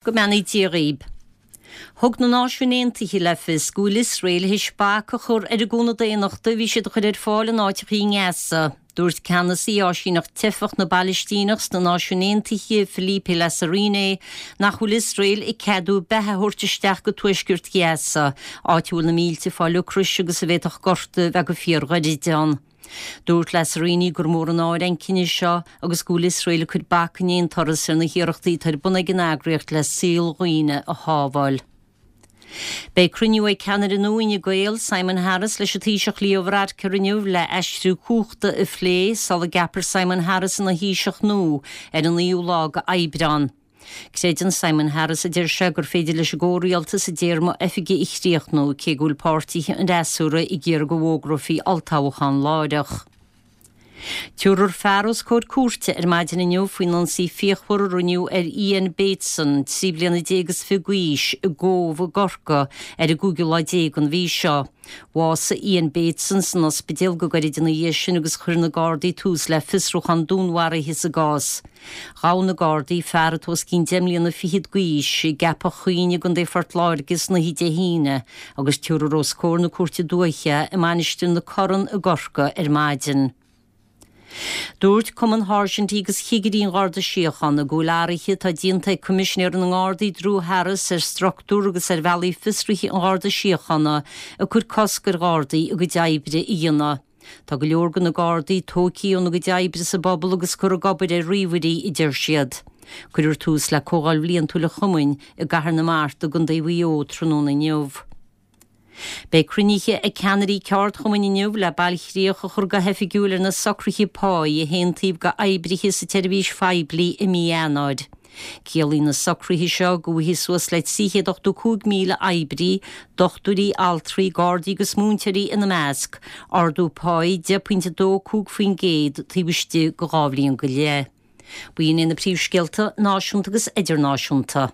Go mbeannaí Dia dhaoib. Thug na Náisiúin Aontaithe le fios go bhfuil Iosrael théis bac a chur ar an gcúnamh daonnachta a bhí siad a chur ar fáil in áiteachaí i nGaza. Dúirt ceannasaí Áisíneacht Teifeach na bPailistíneach sna Náisiúin Aontaithe, Philippe Lazzarini, nach bhfuil Iosrael ag ceadú beatha a thabhairt isteach go tuaisceart Ghaza, áit a bhfuil na mílte ag fáil ocrais agus a bhféadfadh gorta a bheith go fíorghairid ann. Dúirt Lazzarini gur mór an náire an cinneadh seo agus go bhfuil Iosrael ag cur bac in aon turas ar na hiarrachtaí atá ar bun ag an eagraíocht le saol dhaoine a shábháil. Beidh cruinniú ag ceannaire nua Fhine Gael, Simon Harris, leis an Taoiseach Leo Varadkar inniu le aistriú cumhachta a phlé sula gceapfar Simon Harris ina Thaoiseach nua ar an 9ú lá d'Aibreán. Creideann Simon Harris, a deir sé, gur féidir leis an gcomhrialtas a dtéarma oifige a chríochnú, cé go bhfuil páirtithe an fhreasúra ag iarraidh go bhfógrófaí olltoghchán láithreach. Tabharfar fear os comhair cúirte ar maidin inniu faoin ionsaí fíochmhar a rinneadh ar Ian Bateson, 13 bliana is fiche d'aois, i gCóbh i gCorcaigh ar an gcúigiú lá déag den mhí seo. Bhásaigh Ian Bateson san ospidéal go gairid ina dhiaidh sin agus chuir na Gardaí tús le fiosrúchán dúnmharaithe sa gcás. Ghabh na Gardaí fear atá os cionn deich mbliana fichead d'aois i gCeapach Chuinn i gContae Phort Láirge san oíche Dé hAoine agus tabharfar os comhair na Cúirte Dúiche i Mainistir na Corann i gCorcaigh ar maidin. Dúirt Cumann Sháirsintí agus Chigirí an Gharda Síochána go bhfuil athruithe atá déanta ag Coimisinéir na nGardaí Drew Harris ar struchtúr agus ar bhealaí fiosraithe an Gharda Síochána ag cur cosc ar Ghardaí a gcuid oibre a dhéanamh. Tá go leor de na Gardaí tógtha óna gcuid oibre sa bpobal agus curtha ag obair ar ríomhairí, a deir siad. Cuirfear tús le Comhdháil Bhliantúil an Chumainn i gCathair na Mart i gContae Mhaigh Eo tráthnóna inniu. Beidh cruinnithe ag ceannairí ceardchumainn inniu le bailchríoch a chur go hoifigiúil ar na socruithe páí a haontaíodh d'oibrithe sa tseirbhís phoiblí i mí Eanáir. Ciallaíonn na socruithe seo go bhfaighidh suas le 385,000 oibrí, dochtúirí, altraí, gardaí agus múinteoirí ina measc, ardú páí 10.25% taobh istigh de dhá bhliain go leith. B'in iad na príomhscéalta náisiúnta agus idirnáisiúnta.